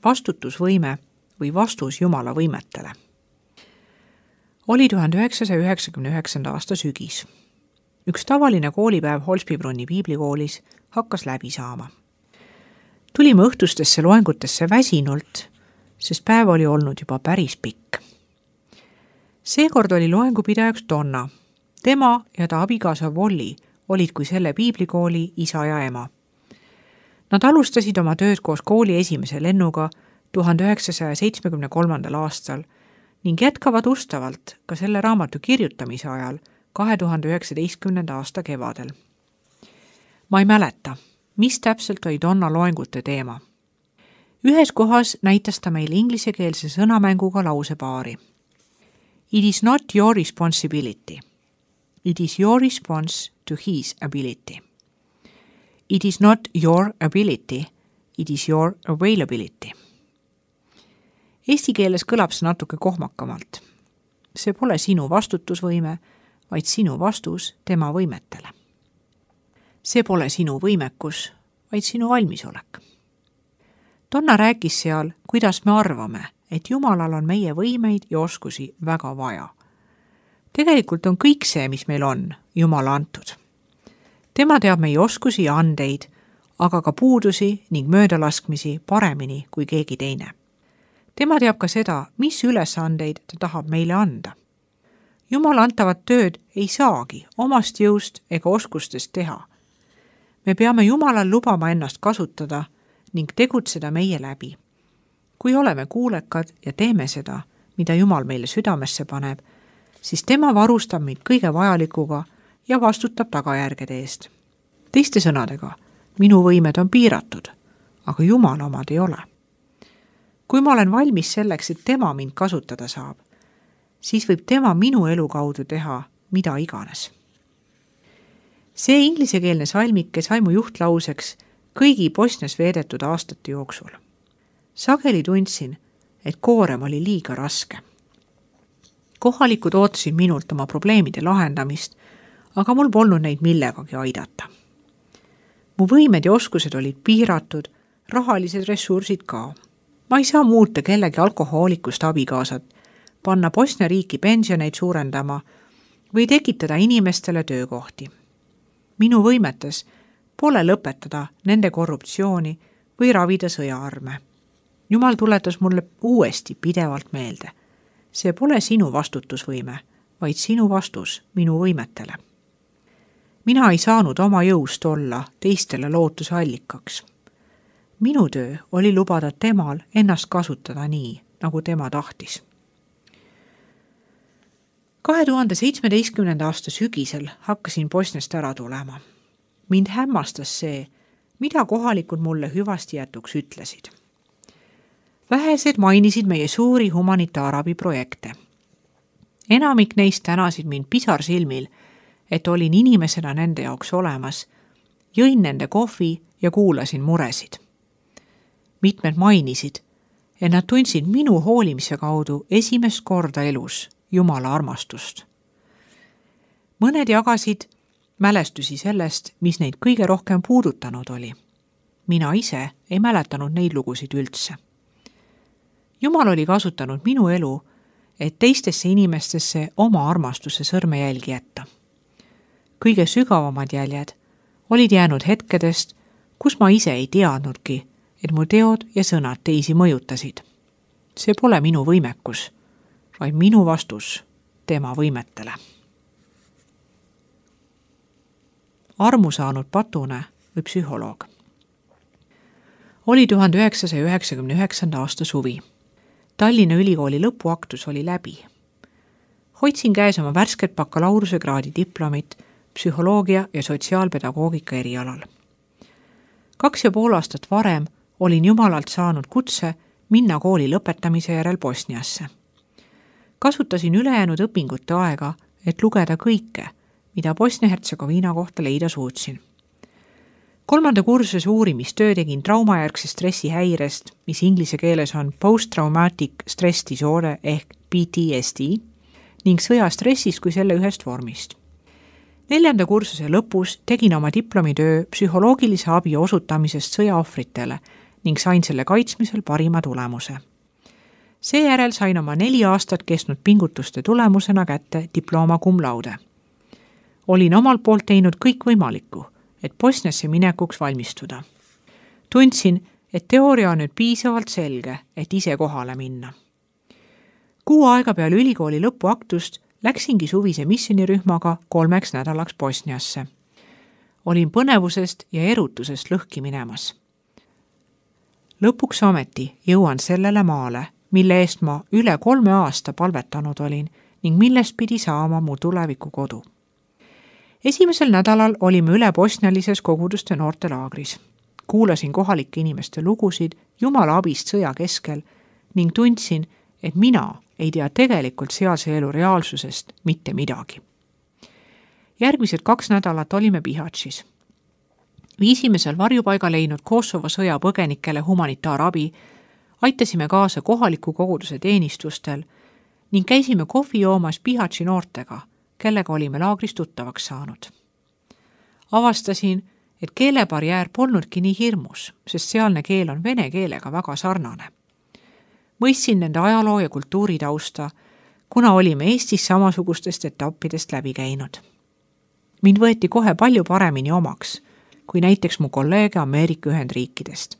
vastutusvõime või vastus Jumala võimetele. Oli 1999. aasta sügis. Üks tavaline koolipäev Holsbybrunni piiblikoolis hakkas läbi saama. Tulime õhtustesse loengutesse väsinult, sest päev oli olnud juba päris pikk. Seekord oli loengupidajaks Donna. Tema ja ta abikaasa Volli olid kui selle piiblikooli isa ja ema. Nad alustasid oma tööd koos kooli esimese lennuga 1973. aastal ning jätkavad ustavalt ka selle raamatu kirjutamise ajal 2019. aasta kevadel. Ma ei mäleta, mis täpselt oli Donna loengute teema. Ühes kohas näitas ta meile inglisekeelse sõnamänguga lausepaari. It is not your responsibility. It is your response to his ability. It is not your ability. It is your availability. Eesti keeles kõlab see natuke kohmakamalt. See pole sinu vastutusvõime, vaid sinu vastus tema võimetele. See pole sinu võimekus, vaid sinu valmisolek. Donna rääkis seal, kuidas me arvame, et Jumalal on meie võimeid ja oskusi väga vaja. Tegelikult on kõik see, mis meil on, Jumala antud. Tema teab meie oskusi ja andeid, aga ka puudusi ning möödalaskmisi paremini kui keegi teine. Tema teab ka seda, mis ülesandeid ta tahab meile anda. Jumala antavat tööd ei saagi omast jõust ega oskustest teha. Me peame Jumalal lubama ennast kasutada ning tegutseda meie läbi. Kui oleme kuulekad ja teeme seda, mida Jumal meile südamesse paneb, siis tema varustab meid kõige vajalikuga ja vastutab tagajärgede eest. Teiste sõnadega, minu võimed on piiratud, aga Jumala omad ei ole. Kui ma olen valmis selleks, et tema mind kasutada saab, siis võib tema minu elu kaudu teha mida iganes. See inglisekeelne salmike sai mu juhtlauseks kõigi Bosnias veedetud aastate jooksul. Sageli tundsin, et koorem oli liiga raske. Kohalikud ootasid minult oma probleemide lahendamist, aga mul polnud neid millegagi aidata. Mu võimed ja oskused olid piiratud, rahalised ressursid ka. Ma ei saa muuta kellegi alkohoolikust abikaasat, panna Bosnia riiki pensioneid suurendama või tekitada inimestele töökohti. Minu võimetes pole lõpetada nende korruptsiooni või ravida sõjaarme. Jumal tuletas mulle uuesti pidevalt meelde. See pole sinu vastutusvõime, vaid sinu vastus minu võimetele. Mina ei saanud oma jõust olla teistele lootuse allikaks. Minu töö oli lubada temal ennast kasutada nii, nagu tema tahtis. 2017. aasta sügisel hakkasin Bosniast ära tulema. Mind hämmastas see, mida kohalikud mulle hüvasti jätuks ütlesid. Vähesed mainisid meie suuri humanitaarabiprojekte. Enamik neist tänasid mind pisarsilmil, et olin inimesena nende jaoks olemas, jõin nende kohvi ja kuulasin muresid. Mitmed mainisid, et nad tundsid minu hoolimise kaudu esimest korda elus Jumala armastust. Mõned jagasid mälestusi sellest, mis neid kõige rohkem puudutanud oli. Mina ise ei mäletanud neid lugusid üldse. Jumal oli kasutanud minu elu, et teistesse inimestesse oma armastuse sõrmejälgi jätta. Kõige sügavamad jäljed olid jäänud hetkedest, kus ma ise ei teadnudki, et mu teod ja sõnad teisi mõjutasid. See pole minu võimekus, vaid minu vastus tema võimetele. Armu saanud patune või psühholoog. Oli 1999. aasta suvi. Tallinna Ülikooli lõpuaktus oli läbi. Hoidsin käes oma värsket bakalaureusekraadi diplomit psühholoogia ja sotsiaalpedagoogika erialal. 2,5 aastat varem olin Jumalalt saanud kutse minna kooli lõpetamise järel Bosniasse. Kasutasin ülejäänud õpingute aega, et lugeda kõike, mida Bosnia-Hertsegoviina kohta leida suutsin. 3. kursuse uurimistöö tegin traumajärgse stressi häirest, mis inglise keeles on post-traumatic stress disorder ehk PTSD, ning sõjastressist kui selle ühest vormist. 4. kursuse lõpus tegin oma diplomitöö psühholoogilise abi osutamisest sõjaohvritele ning sain selle kaitsmisel parima tulemuse. Seejärel sain oma 4 aastat kestnud pingutuste tulemusena kätte diploma cum laude. Olin omalt poolt teinud kõik võimalikku, et Bosniasse minekuks valmistuda. Tundsin, et teooria on nüüd piisavalt selge, et ise kohale minna. 6 aega peale ülikooli lõpuaktust läksingi suvise missionirühmaga 3 nädalaks Bosniasse. Olin põnevusest ja erutusest lõhki minemas. Lõpuks ometi jõuan sellele maale, mille eest ma üle 3 aasta palvetanud olin ning millest pidi saama mu tuleviku kodu. Esimesel nädalal olime üle bosnialises koguduste noortelaagris. Kuulasin kohalike inimeste lugusid Jumala abist sõja keskel ning tundsin, et mina ei tea tegelikult sealse elu reaalsusest mitte midagi. Järgmised 2 nädalat olime Bihaćis. Viisime seal varjupaiga leidnud Kosovo sõjapõgenikele humanitaarabi, aitasime kaasa kohaliku koguduse teenistustel ning käisime kohvi joomas Bihaći noortega, kellega olime laagris tuttavaks saanud. Avastasin, et keelebarjäär polnudki nii hirmus, sest sealne keel on vene keelega väga sarnane. Mõistsin nende ajaloo ja kultuuri tausta, kuna olime Eestis samasugustest etappidest läbi käinud. Mind võeti kohe palju paremini omaks, kui näiteks mu kolleege Ameerika Ühendriikidest.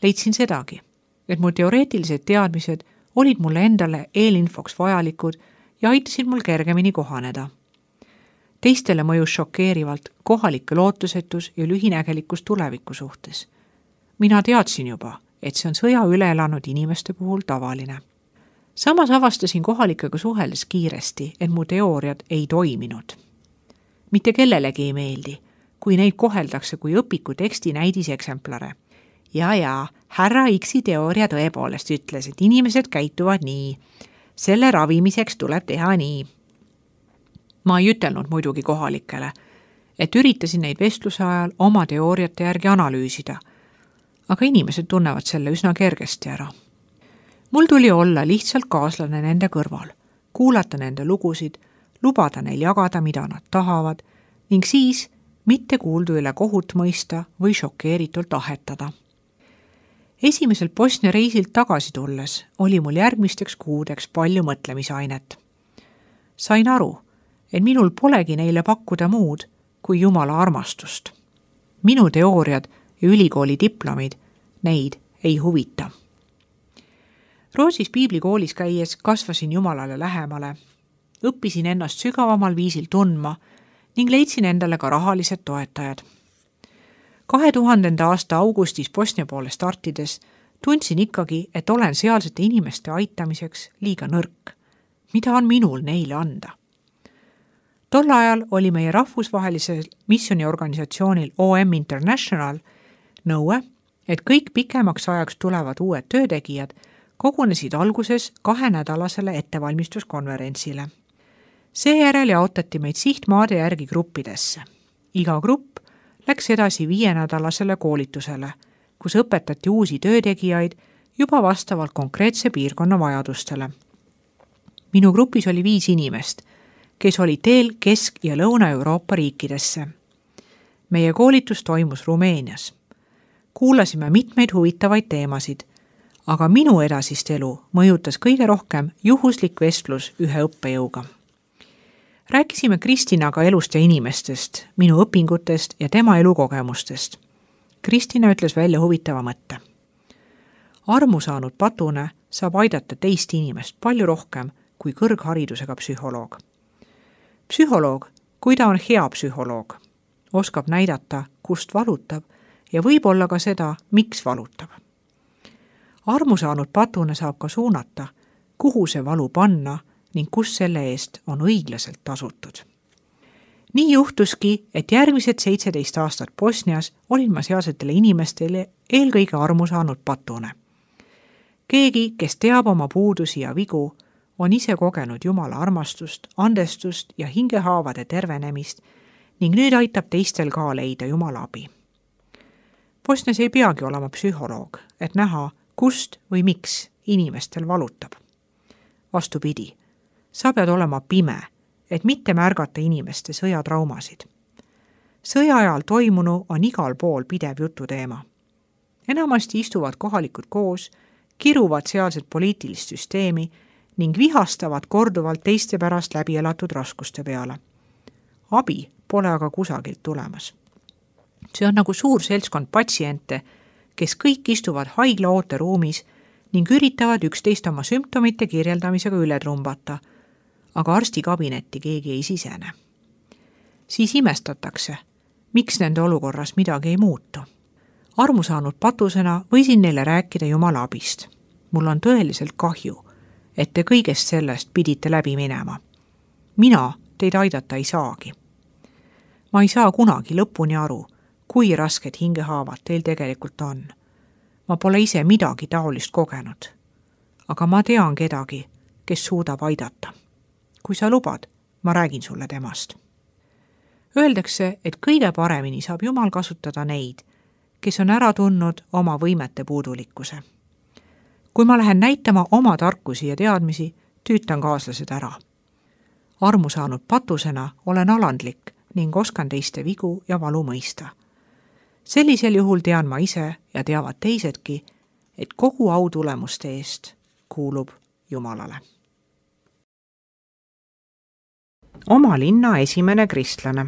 Leidsin sedagi, et mu teoreetilised teadmised olid mulle endale eelinfoks vajalikud ja aitasid mul kergemini kohaneda. Teistele mõjus šokeerivalt kohalike lootusetus ja lühinägelikkus tuleviku suhtes. Mina teadsin juba, et see on sõja üle elanud inimeste puhul tavaline. Samas avastasin kohalikega suheldes kiiresti, et mu teooriad ei toiminud. Mitte kellelegi ei meeldi, kui neid koheldakse kui õpiku teksti näidiseksemplare. Ja, härra X-i teooria tõepoolest ütles, et inimesed käituvad nii. Selle ravimiseks tuleb teha nii. Ma ei ütelnud muidugi kohalikele, et üritasin neid vestluse ajal oma teooriate järgi analüüsida, aga inimesed tunnevad selle üsna kergesti ära. Mul tuli olla lihtsalt kaaslane nende kõrval, kuulata nende lugusid, lubada neil jagada, mida nad tahavad, ning siis mitte kuuldu üle kohut mõista või šokeeritult ahetada. Esimesel Bosnia reisilt tagasi tulles oli mul järgmisteks kuudeks palju mõtlemisainet. Sain aru, et minul polegi neile pakkuda muud kui Jumala armastust. Minu teooriad ja ülikooli diplomid neid ei huvita. Rootsis piiblikoolis käies kasvasin Jumalale lähemale, õppisin ennast sügavamal viisil tundma ning leidsin endale ka rahalised toetajad. 2000. aasta augustis Bosnia poole startides tundsin ikkagi, et olen sealsete inimeste aitamiseks liiga nõrk. Mida on minul neile anda? Tol ajal oli meie rahvusvahelisel missioniorganisatsioonil OM International nõue, et kõik pikemaks ajaks tulevad uued töötegijad kogunesid alguses 2-nädalasele ettevalmistuskonverentsile. Seejärel jaotati meid sihtmaade järgi gruppidesse. Iga grupp läks edasi 5-nädalasele koolitusele, kus õpetati uusi töötegijaid juba vastavalt konkreetse piirkonna vajadustele. Minu grupis oli 5 inimest, kes oli teel Kesk- ja Lõuna-Euroopa riikidesse. Meie koolitus toimus Rumeenias. Kuulasime mitmeid huvitavaid teemasid, aga minu edasist elu mõjutas kõige rohkem juhuslik vestlus ühe õppejõuga. Rääkisime Kristinaga elust ja inimestest, minu õpingutest ja tema elukogemustest. Kristina ütles välja huvitava mõtte. Armu saanud patune saab aidata teist inimest palju rohkem kui kõrgharidusega psühholoog. Psühholoog, kui ta on hea psühholoog, oskab näidata, kust valutab ja võib-olla ka seda, miks valutab. Armu saanud patune saab ka suunata, kuhu see valu panna ning kus selle eest on õiglaselt tasutud. Nii juhtuski, et järgmised 17 aastat Bosnias olin ma sealsetele inimestele eelkõige armu saanud patune. Keegi, kes teab oma puudusi ja vigu, on ise kogenud Jumala armastust, andestust ja hingehaavade tervenemist ning nüüd aitab teistel ka leida Jumala abi. Bosnias ei peagi olema psühholoog, et näha, kust või miks inimestel valutab. Vastupidi, sa pead olema pime, et mitte märgata inimeste sõjatraumasid. Sõja ajal toimunu on igal pool pidev jututeema. enamasti istuvad kohalikud koos, kiruvad sealset poliitilist süsteemi ning vihastavad korduvalt teiste pärast läbi elatud raskuste peale. Abi pole aga kusagilt tulemas. See on nagu suur seltskond patsiente, kes kõik istuvad haigla ooteruumis ning üritavad üksteist oma sümptomite kirjeldamisega üle trumbata, aga arstikabinetti keegi ei sisene. Siis imestatakse, miks nende olukorras midagi ei muutu. Armu saanud patusena võisin neile rääkida Jumala abist. Mul on tõeliselt kahju, et te kõigest sellest pidite läbi minema. Mina teid aidata ei saagi. Ma ei saa kunagi lõpuni aru, kui rasked hingehaavad teil tegelikult on. Ma pole ise midagi taolist kogenud. Aga ma tean kedagi, kes suudab aidata. Kui sa lubad, ma räägin sulle temast. Öeldakse, et kõige paremini saab Jumal kasutada neid, kes on ära tundnud oma võimete puudulikkuse. Kui ma lähen näitama oma tarkusi ja teadmisi, tüütan kaaslased ära. Armu saanud patusena olen alandlik ning oskan teiste vigu ja valu mõista. Sellisel juhul tean ma ise ja teavad teisedki, et kogu au tulemuste eest kuulub Jumalale. Oma linna esimene kristlane.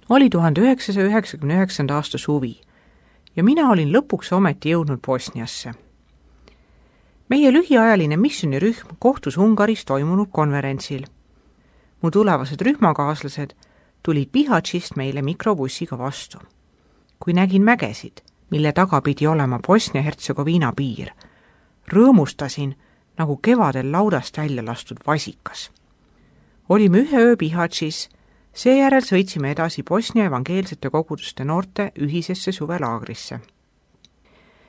Oli 1999. aasta suvi ja mina olin lõpuks ometi jõudnud Bosniasse. Meie lühiajaline missionirühm kohtus Ungaris toimunud konverentsil. Mu tulevased rühmakaaslased tulid Bihaćist meile mikrobussiga vastu. Kui nägin mägesid, mille taga pidi olema Bosnia-Hertsegoviina piir, rõõmustasin nagu kevadel laudast välja lastud vasikas. Olime ühe öö Bihaćis, seejärel sõitsime edasi Bosnia evangeelsete koguduste noorte ühisesse suvelaagrisse.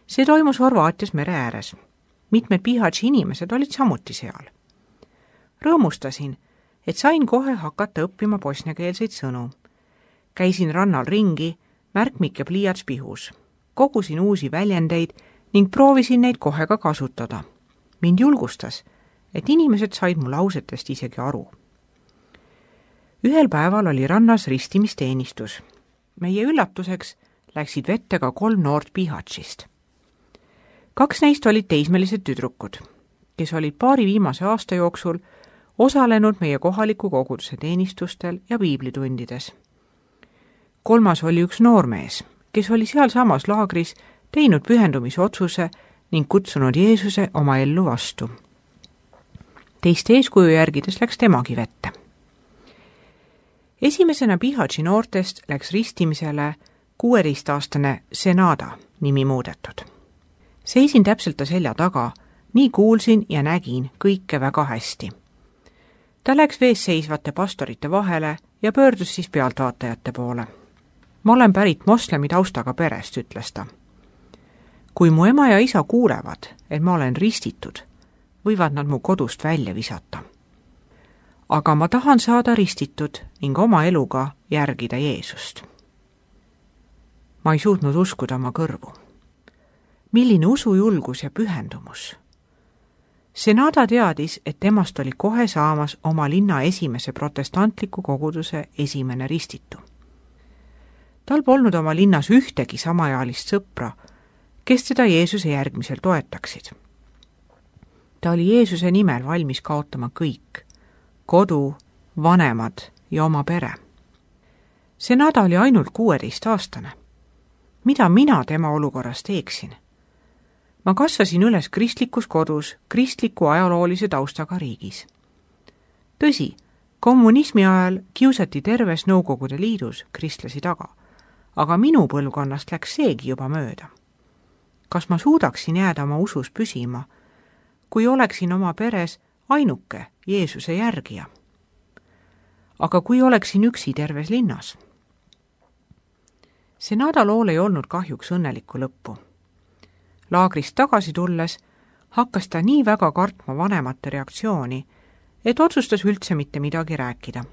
See toimus Horvaatias mere ääres. Mitmed Bihaći inimesed olid samuti seal. Rõõmustasin, et sain kohe hakata õppima bosniakeelseid sõnu. Käisin rannal ringi, märkmik ja pliiats pihus. Kogusin uusi väljendeid ning proovisin neid kohe ka kasutada. Mind julgustas, et inimesed said mu lausetest isegi aru. Ühel päeval oli rannas ristimisteenistus. Meie üllatuseks läksid vette ka 3 noort Bihaćist. 2 neist olid teismelised tüdrukud, kes olid paari viimase aasta jooksul osalenud meie kohaliku koguduse teenistustel ja piiblitundides. 3. oli üks noormees, kes oli sealsamas laagris teinud pühendumisotsuse ning kutsunud Jeesuse oma ellu vastu. Teiste eeskuju järgides läks temagi vette. Esimesena Bihaći noortest läks ristimisele 16-aastane Senada nimi muudetud. Seisin täpselt ta selja taga, nii kuulsin ja nägin kõike väga hästi. Ta läks vees seisvate pastorite vahele ja pöördus siis pealtvaatajate poole. Ma olen pärit moslemi taustaga perest, ütles ta. Kui mu ema ja isa kuulevad, et ma olen ristitud, võivad nad mu kodust välja visata. Aga ma tahan saada ristitud ning oma eluga järgida Jeesust. Ma ei suutnud uskuda oma kõrvu. Milline usujulgus ja pühendumus. Senada teadis, et temast oli kohe saamas oma linna esimese protestantliku koguduse esimene ristitu. Tal polnud oma linnas ühtegi samaealist sõpra, kes teda Jeesuse järgmisel toetaksid. Ta oli Jeesuse nimel valmis kaotama kõik, kodu, vanemad ja oma pere. Senada oli ainult 16-aastane. Mida mina tema olukorras teeksin? Ma kasvasin üles kristlikus kodus, kristliku ajaloolise taustaga riigis. Tõsi, kommunismi ajal kiusati terves Nõukogude Liidus kristlasi taga, aga minu põlvkonnast läks seegi juba mööda. Kas ma suudaksin jääda oma usus püsima, kui oleksin oma peres ainuke Jeesuse järgija? Aga kui oleksin üksi terves linnas? Senada lool ei olnud kahjuks õnnelikku lõppu. Laagrist tagasi tulles hakkas ta nii väga kartma vanemate reaktsiooni, et otsustas üldse mitte midagi rääkida.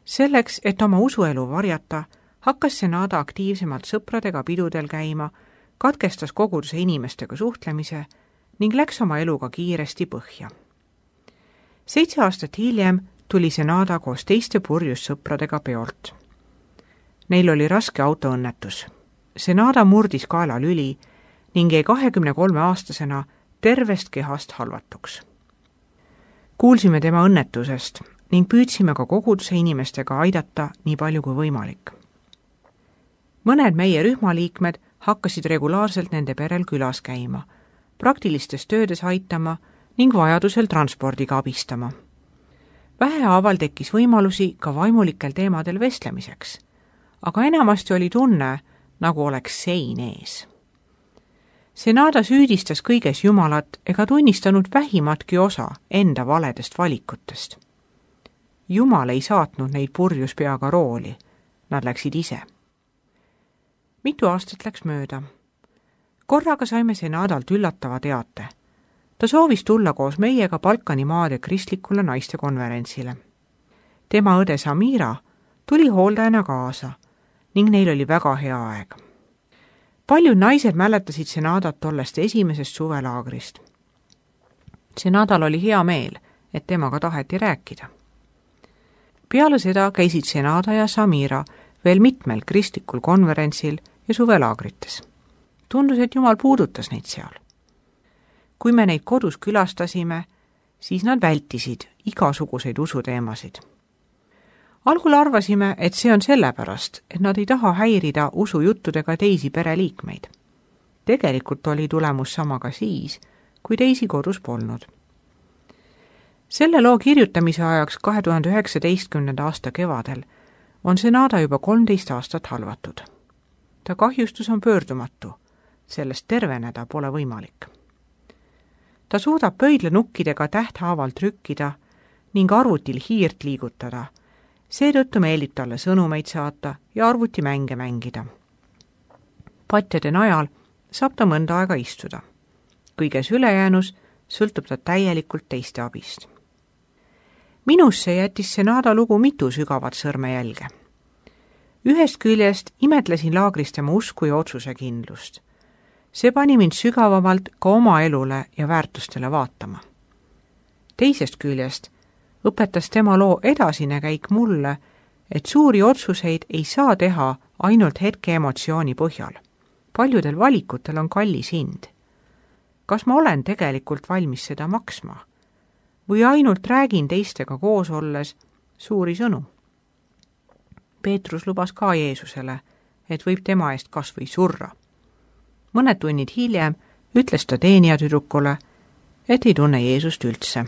Selleks, et oma usuelu varjata, hakkas Senada aktiivsemalt sõpradega pidudel käima, katkestas koguduse inimestega suhtlemise ning läks oma eluga kiiresti põhja. 7 aastat hiljem tuli Senada koos teiste purjus sõpradega peolt. Neil oli raske autoõnnetus. Senada murdis kaelalüli ning jäi 23-aastasena tervest kehast halvatuks. Kuulsime tema õnnetusest ning püüdsime ka koguduse inimestega aidata nii palju kui võimalik. Mõned meie rühmaliikmed hakkasid regulaarselt nende perel külas käima, praktilistes töödes aitama ning vajadusel transpordiga abistama. Vähehaaval tekkis võimalusi ka vaimulikel teemadel vestlemiseks, aga enamasti oli tunne, nagu oleks sein ees. Senada süüdistas kõiges Jumalat ega tunnistanud vähimatki osa enda valedest valikutest. Jumal ei saatnud neid purjus peaga rooli, nad läksid ise. Mitu aastat läks mööda. Korraga saime Senadalt üllatava teate. Ta soovis tulla koos meiega Balkani maade kristlikule naistekonverentsile. Tema õde Samira tuli hooldajana kaasa ning neil oli väga hea aeg. Paljud naised mäletasid Senadat tollest esimesest suvelaagrist. Senadal oli hea meel, et temaga taheti rääkida. Peale seda käisid Senada ja Samira veel mitmel kristlikul konverentsil ja suvelaagrites. Tundus, et Jumal puudutas neid seal. Kui me neid kodus külastasime, siis nad vältisid igasuguseid usuteemasid. Algul arvasime, et see on sellepärast, et nad ei taha häirida usujuttudega teisi pereliikmeid. Tegelikult oli tulemus sama ka siis, kui teisi kodus polnud. Selle loo kirjutamise ajaks 2019. aasta kevadel on Senada juba 13 aastat halvatud. Ta kahjustus on pöördumatu, sellest terveneda pole võimalik. Ta suudab pöidlanukkidega tähthaaval trükkida ning arvutil hiirt liigutada, seetõttu meeldib talle sõnumeid saata ja arvutimänge mängida. Patjade najal saab ta mõnda aega istuda. Kõiges ülejäänus sõltub ta täielikult teiste abist. Minusse jättis Senada lugu mitu sügavat sõrmejälge. Ühest küljest imetlesin laagris tema usku ja otsusekindlust. See pani mind sügavamalt ka oma elule ja väärtustele vaatama. Teisest küljest õpetas tema loo edasine käik mulle, et suuri otsuseid ei saa teha ainult hetke emotsiooni põhjal. Paljudel valikutel on kallis hind. Kas ma olen tegelikult valmis seda maksma? Või ainult räägin teistega koos olles suuri sõnu? Peetrus lubas ka Jeesusele, et võib tema eest kas või surra. Mõned tunnid hiljem ütles ta teenijatüdrukule, et ei tunne Jeesust üldse.